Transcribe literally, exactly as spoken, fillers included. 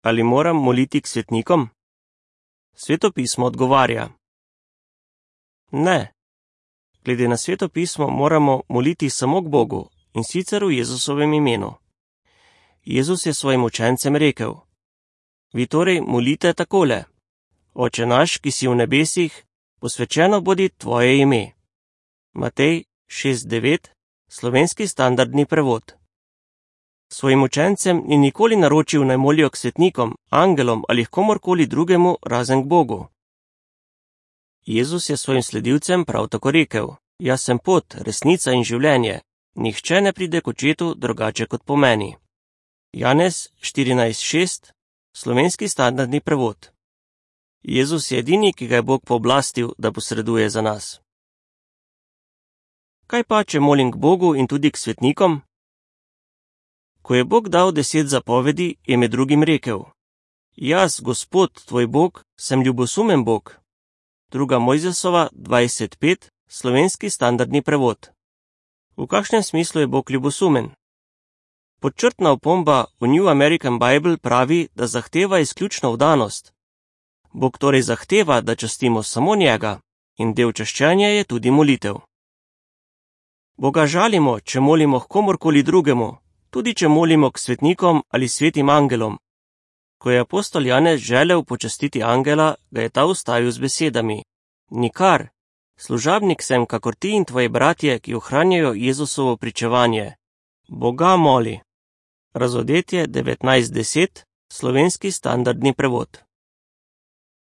ali moram moliti k svetnikom? Sveto pismo odgovarja: ne. Glede na Sveto pismo moramo moliti samo k Bogu, in sicer v Jezusovem imenu. Jezus je svojim učencem rekel: vi torej molite takole: Oče naš, ki si v nebesih, posvečeno bodi tvoje ime. Matej šest devet, slovenski standardni prevod. Svojim učencem ni nikoli naročil, naj molijo k svetnikom, angelom ali komorkoli drugemu razen k Bogu. Jezus je svojim sledilcem prav tako rekel: jaz sem pot, resnica in življenje, nihče ne pride k očetu drugače kot po meni. Janez štirinajst šest, slovenski standardni prevod. Jezus je edini, ki ga je Bog pooblastil, da posreduje za nas. Kaj pa, če molim k Bogu in tudi k svetnikom? Ko je Bog dal deset zapovedi, je med drugim rekel: jaz, Gospod, tvoj Bog, sem ljubosumen Bog. Druga Mojzesova dvajset pet, slovenski standardni prevod. V kakšnem smislu je Bog ljubosumen? Podčrtna opomba v New American Bible pravi, da zahteva izključno vdanost. Bog torej zahteva, da častimo samo njega, in del čaščenja je tudi molitev. Boga žalimo, če molimo k komorkoli drugemu, tudi če molimo k svetnikom ali svetim angelom. Ko je apostol Janez želel počastiti angela, ga je ta ustavil z besedami: nikar, služabnik sem kakor ti in tvoji bratje, ki ohranjajo Jezusovo pričevanje. Boga moli. Razodetje devetnajst deset, slovenski standardni prevod.